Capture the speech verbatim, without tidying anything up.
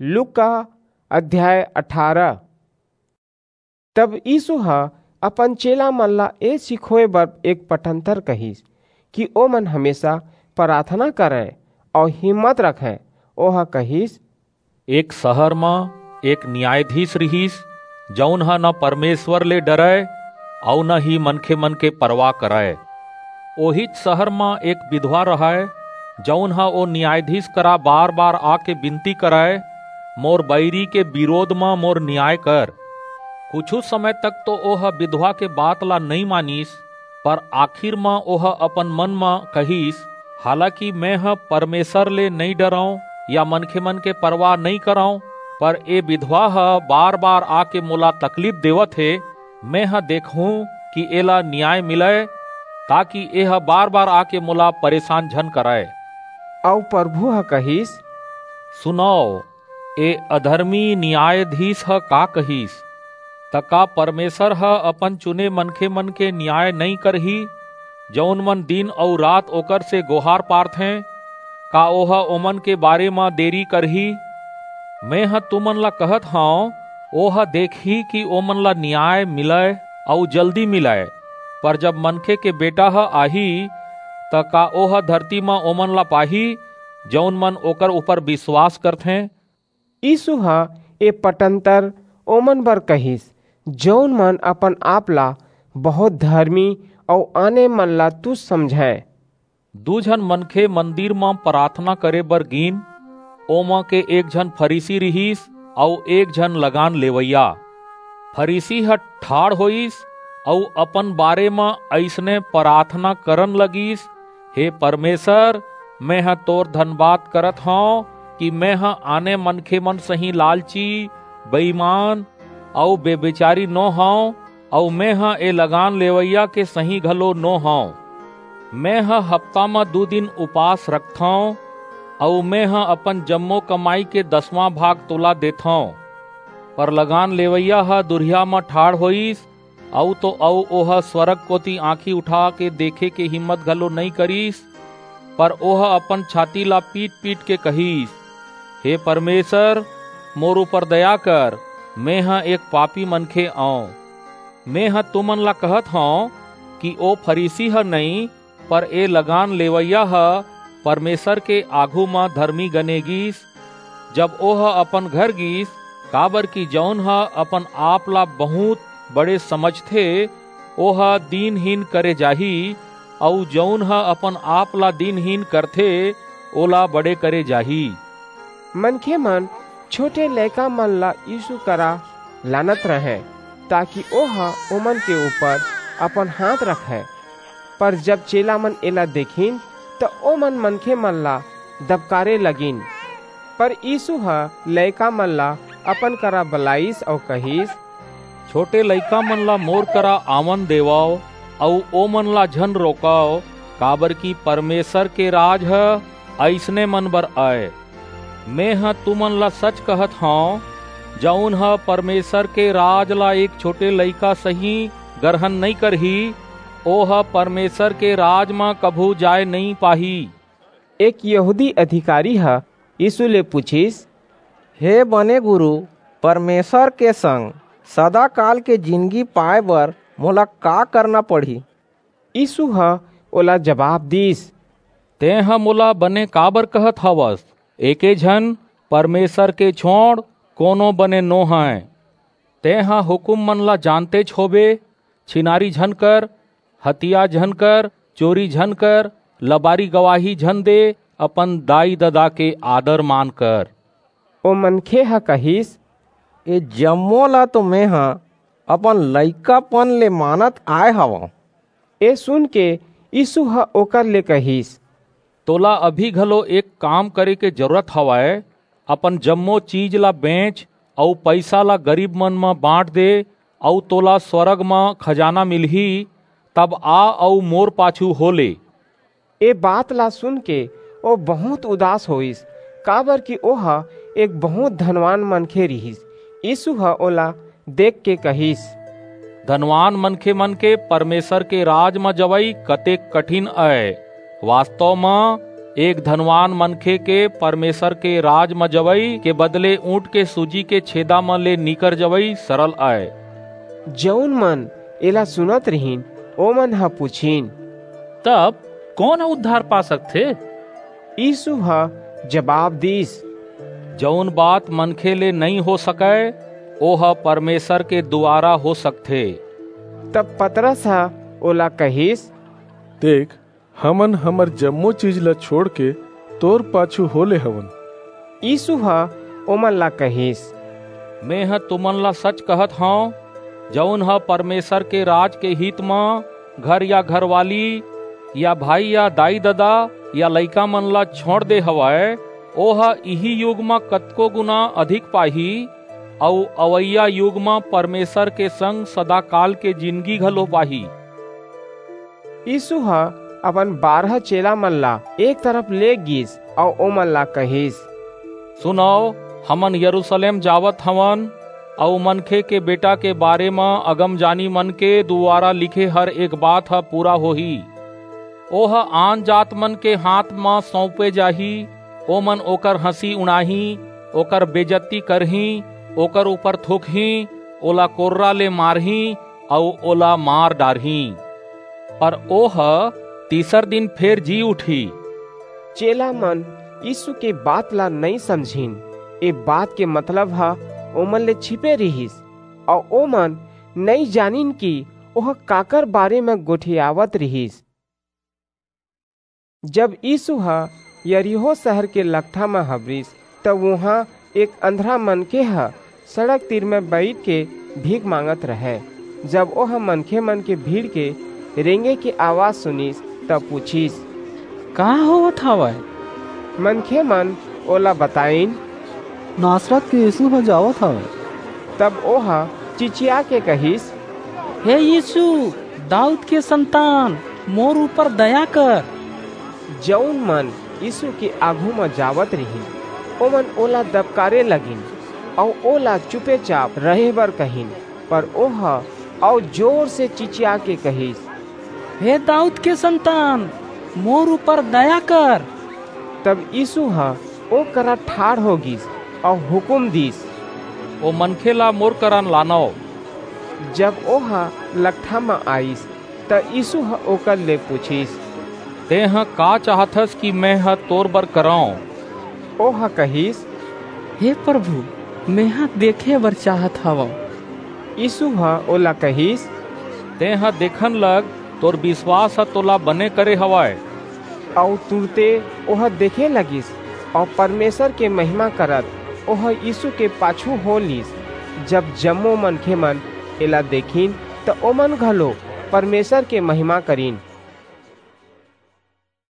लूका अध्याय अठारह। तब यीसू ह अपन चेला मन ला ए सिखोए बर एक पटंतर कहिस कि ओमन हमेसा पराथना करंय अऊ हिम्मत रखंय। ओह कहिस, एक सहर म एक नियायधीस रिहिस, जऊन ह न परमेसर ले डरय अऊ न ही मनखेमन के परवाह करय। ओहीच सहर म एक बिधवा रहय, जऊन ह ओ नियायधीस करा बार-बार आके बिनती करय, मोर बईरी के बिरोध म मोर नियाय कर। कुछू समय तक तो ओह बिधवा के बात ला नइं मानिस, पर आखिर म ओह अपन मन म कहिस, हालाकि मेंह परमेसर ले नइं डरंव या मनखेमन के परवाह नइं करंव, पर ए बिधवा ह बार-बार आके मोला तकलीफ देवत हे, मेंह देखहूं कि एला नियाय मिलय, ताकि एह बार-बार आके मोला परेसान झन करय। अऊ परभू ह कहिस, सुनव, ए अधरमी नियायधीस ह का कहिस? त का परमेसर ह अपन चुने मनखेमन के नियाय नइं करही, जऊन मन दिन अऊ रात ओकर से गोहार पारथें? का ओह ओमन के बारे म देरी करही? मेंह तुमन ला कहत हंव, ओह देखही कि ओमन ला नियाय मिलय अऊ जल्दी मिलय। पर जब मनखे के बेटा ह आही, त का ओह धरती म ओमन ला पाही, जऊन मन ओकर ऊपर बिसवास करथें? यीसू ह ए पटंतर ओमन बर कहिस, जऊन मन अपन-आप ला बहुंत धरमी अऊ आने मन ला तुछ समझंय। दू झन मनखे मंदिर म पराथना करे बर गीन। ओमा के एक झन फरीसी रिहिस अऊ एक झन लगान लेवइया। फरीसी ह ठाढ़ होईस अऊ अपन बारे म अइसने पराथना करन लगिस, हे परमेसर, मेंह तोर धनबाद करत हंव कि मेंह आने मनखेमन सहीं लालची, बेईमान अऊ बेभिचारी नो हंव, अऊ मेंह ए लगान लेवइया के सहीं घलो नो हंव। मेंह हप्ता म दू दिन उपास रखथंव, अऊ मेंह अपन जम्मो कमई के दसवां भाग तोला देथंव। पर लगान लेवइया ह दुरिहा म ठाढ़ होईस, अऊ तो अऊ ओह स्वरग कोति आंखी उठाके देखे के हिम्मत घलो नइं करिस, पर ओह अपन छाती ला पीट-पीट के कहिस, हे परमेसर, मोर ऊपर दया कर, मेंह एक पापी मनखे अंव। मेंह तुमन ला कहत हंव कि ओ फरीसी ह नइं, पर ए लगान लेवइया ह परमेसर के आघू म धरमी गने गीस। जब ओह अपन घर गीस, काबरकि जऊन ह अपन-आप ला बहुंत बड़े समझथे, ओह दीनहीन करे जाही, अऊ जऊन ह अपन-आप ला दीनहीन करथे, ओला बड़े करे जाही। मनखेमन छोटे लइकामन ला यीसू करा लानत रहंय, ताकि ओह ओमन के ऊपर अपन हांथ रखय। पर जब चेलामन एला देखिन, त ओमन मनखेमन ला दबकारे लगिन। पर यीसू ह लइकामन ला अपन करा बलाईस अऊ कहिस, छोटे लइकामन ला मोर करा आवन देवव, अऊ ओमन ला झन रोकव, काबरकि परमेसर के राज ह अइसने मन बर अय। मेंह तुमन ला सच कहत हंव, जऊन ह परमेसर के राज ला एक छोटे लइका सहीं गरहन नइं करही, ओह परमेसर के राज म कभू जाय नइं पाही। एक यहूदी अधिकारी ह यीसू ले पुछिस, हे बने गुरू, परमेसर के संग सदाकाल के जिनगी पाय बर मोला का करना पड़ही? यीसू ह ओला जबाब दीस, तेंह मोला बने काबर कहत हवस? एके झन परमेसर के छोंड़ कोनो बने नो हंय। तेंह हुकूममन ला जानतेच होबे, छिनारी झन कर, हतिया झन कर, चोरी झन कर, लबारी गवाही झन दे, अपन दाई-ददा के आदर-मान कर। ओ मनखे ह कहिस, ए जम्मो ला तो मेंह अपन लइकापन ले मानत आय हवंव। ए सुनके यीसू ह ओकर ले कहिस, तोला अभी घलो एक काम करे के जरूरत हवय, अपन जम्मो चीज ला बेंच अऊ पईसा ला गरीबमन म बांट दे, अऊ तोला स्वरग म खजाना मिलही। तब आ अऊ मोर पाछू हो ले। ए बात ला सुनके ओ बहुंत उदास होईस, काबरकि ओह एक बहुंत धनवान मनखे रिहिस। यीसू ह ओला देखके कहिस, धनवान मनखेमन के परमेसर के राज म जवई कतेक कठिन अय। वास्तव म एक धनवान मनखे के परमेसर के राज म जवई के बदले ऊंट के सूजी के छेदा म ले निकर जवई सरल अय। जऊन मन एला सुनत रिहिन, ओमन ह पुछिन, "तब कोन ह उद्धार पा सकथे?" यीसू ह जबाब दीस, "जऊन बात मनखे ले नइं हो सकय, ओह परमेसर के दुवारा हो सकथे।" तब पतरस ह ओला कहिस, "देख, हमन हमर जम्मो चीज ला छोंड़के तोर पाछू हो ले हवन।" यीसू ह ओमन ला कहिस, "मेंह तुमन ला सच कहत हंव, जऊन ह परमेसर के राज के हित म घर या घरवाली या भाई या दाई-ददा या लइकामन ला छोंड़ दे हवय, ओह इही युग म कतको गुना अधिक पाही, अऊ अवइया युग म परमेसर के संग सदाकाल के जिनगी घलो पाही।" यीसू ह अपन बारह चेलामन ला एक तरफ ले गीस अऊ ओमन ला कहिस, "सुनव, हमन यरूसलेम जावत हवन, अऊ मनखे के बेटा के बारे म अगमजानीमन के दुवारा लिखे हर एक बात ह पूरा होही। ओह आनजातमन के हांथ म सऊंपे जाही, ओमन ओकर हंसी उड़ाहीं, ओकर बेजत्ती करहीं, ओकर ऊपर थूकहीं, ओला कोर्रा ले मारहीं अऊ ओला मार डारहीं। पर ओह तीसर दिन फेर जी उठही।" चेलामन यीसू के बात ला नइं समझिन। ए बात के मतलब ह ओमन ले छिपे रिहिस, अऊ ओमन नइं जानिन कि ओह काकर बारे म गोठियावत रिहिस। जब यीसू ह यरीहो सहर के लकठा म हबरिस, त उहां एक अंधरा मनखे ह सड़क तीर म बईठके भीख मांगत रहय। जब ओह मनखेमन के भीड़ के रेंगे के अवाज सुनिस, त पुछिस, "का होवत हवय?" मनखेमन ओला बताईन, "नासरत के यीसू ह जावत हवय।" तब ओह चिचियाके कहिस, "हे यीसू, दाऊद के संतान, मोर ऊपर दया कर।" जऊन मन यीसू के आघू म जावत रिहिन, ओमन ओला दबकारे लगिन अऊ ओला चुपेचाप रहे बर कहिन। पर ओह अऊ जोर से चिचियाके कहिस, "हे दाऊद के संतान, मोर ऊपर दया कर।" तब यीसू ह ओ करा ठाढ़ हो गीस अऊ हुकूम दीस, "ओ मनखे ला मोर करा लानव।" जब ओह लकठा म आईस, त यीसू ह ओकर ले पुछिस, "तेंह का चाहथस कि मेंह तोर बर करंव?" ओह कहिस, "हे परभू, मेंह देखे बर चाहत हवंव।" यीसू ह ओला कहिस, "तेंह देखन लग, तोर बिसवास ह तोला बने करे हवय।" अऊ तुरते ओह देखे लगिस, अऊ परमेसर के महिमा करत ओह यीसू के पाछू हो लीस। जब जम्मो मनखेमन एला देखिन, त ओमन घलो परमेसर के महिमा करिन।